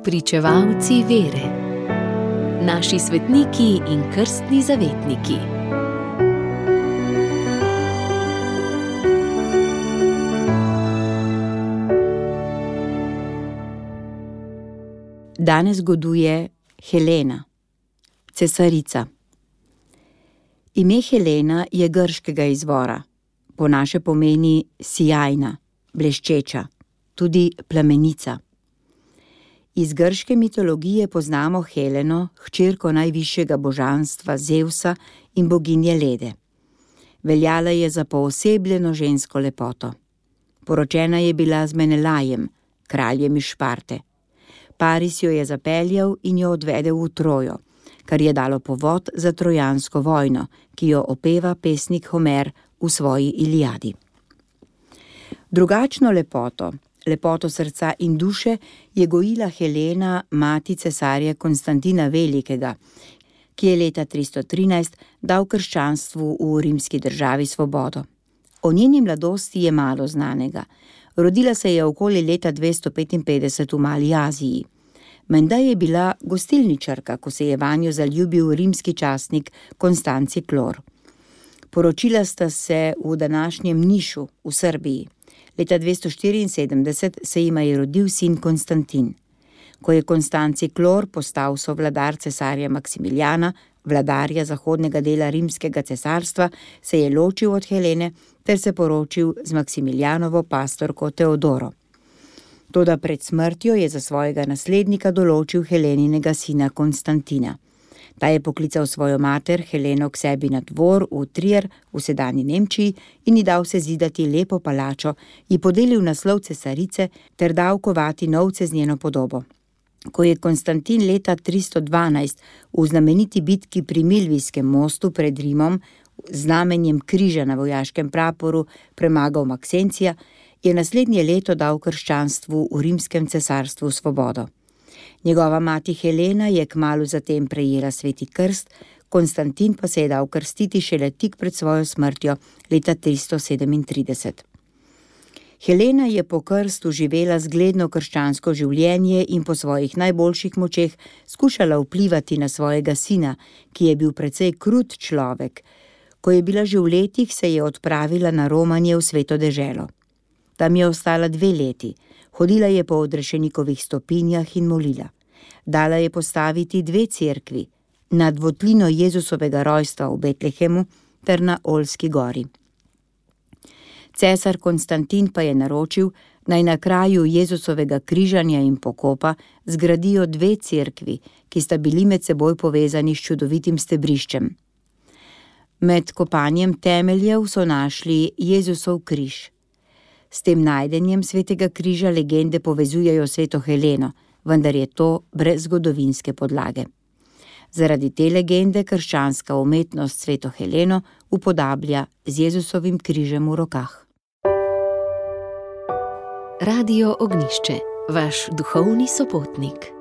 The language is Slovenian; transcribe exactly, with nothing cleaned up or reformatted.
Spričevalci vere. Naši svetniki in krstni zavetniki. Danes goduje Helena, cesarica. Ime Helena je grškega izvora, po naše pomeni sijajna, bleščeča, tudi plamenica. Iz grške mitologije poznamo Heleno, hčerko najvišjega božanstva Zevsa in boginje Lede. Veljala je za poosebljeno žensko lepoto. Poročena je bila z Menelajem, kraljem iz Šparte. Paris jo je zapeljal in jo odvedel v Trojo, kar je dalo povod za trojansko vojno, ki jo opeva pesnik Homer v svoji Iliadi. Drugačno lepoto, lepoto srca in duše, je gojila Helena, mati cesarja Konstantina Velikega, ki je leta tristo trinajst dal krščanstvu v rimski državi svobodo. O njeni mladosti je malo znanega. Rodila se je okoli leta dvesto petinpetdeset v Mali Aziji. Menda je bila gostilničarka, ko se je vanjo zaljubil rimski častnik Konstanci Klor. Poročila sta se v današnjem Nišu v Srbiji. Leta dvesto štiriinsedemdeset se jima je rodil sin Konstantin. Ko je Konstanci Klor postal sovladar cesarja Maksimiljana, vladarja zahodnega dela rimskega cesarstva, se je ločil od Helene ter se poročil z Maksimiljanovo pastorko Teodoro. Toda pred smrtjo je za svojega naslednika določil Heleninega sina Konstantina. Ta je poklical svojo mater Heleno k sebi na dvor v Trier v sedanji Nemčiji in ji dal se zidati lepo palačo, ji podelil naslov cesarice ter dal kovati novce z njeno podobo. Ko je Konstantin leta tristo dvanajst v znameniti bitki pri Milvijskem mostu pred Rimom z znamenjem križa na vojaškem praporu premagal Maksencija, je naslednje leto dal krščanstvu v rimskem cesarstvu svobodo. Njegova mati Helena je kmalu zatem prejela sveti krst, Konstantin pa se je dal krstiti šele tik pred svojo smrtjo leta tristo sedemintrideset. Helena je po krstu živela zgledno krščansko življenje in po svojih najboljših močeh skušala vplivati na svojega sina, ki je bil precej krut človek. Ko je bila že v letih, se je odpravila na romanje v sveto deželo. Tam je ostala dve leti, hodila je po odrešenikovih stopinjah in molila. Dala je postaviti dve cerkvi, na dvotlino Jezusovega rojstva v Betlehemu ter na Olski gori. Cesar Konstantin pa je naročil, naj na kraju Jezusovega križanja in pokopa zgradijo dve cerkvi, ki sta bili med seboj povezani s čudovitim stebriščem. Med kopanjem temeljev so našli Jezusov križ. S tem najdenjem svetega križa legende povezujejo sveto Heleno, vendar je to brez zgodovinske podlage. Zaradi te legende krščanska umetnost sveto Heleno upodablja z Jezusovim križem v rokah. Radio Ognjišče, vaš duhovni sopotnik.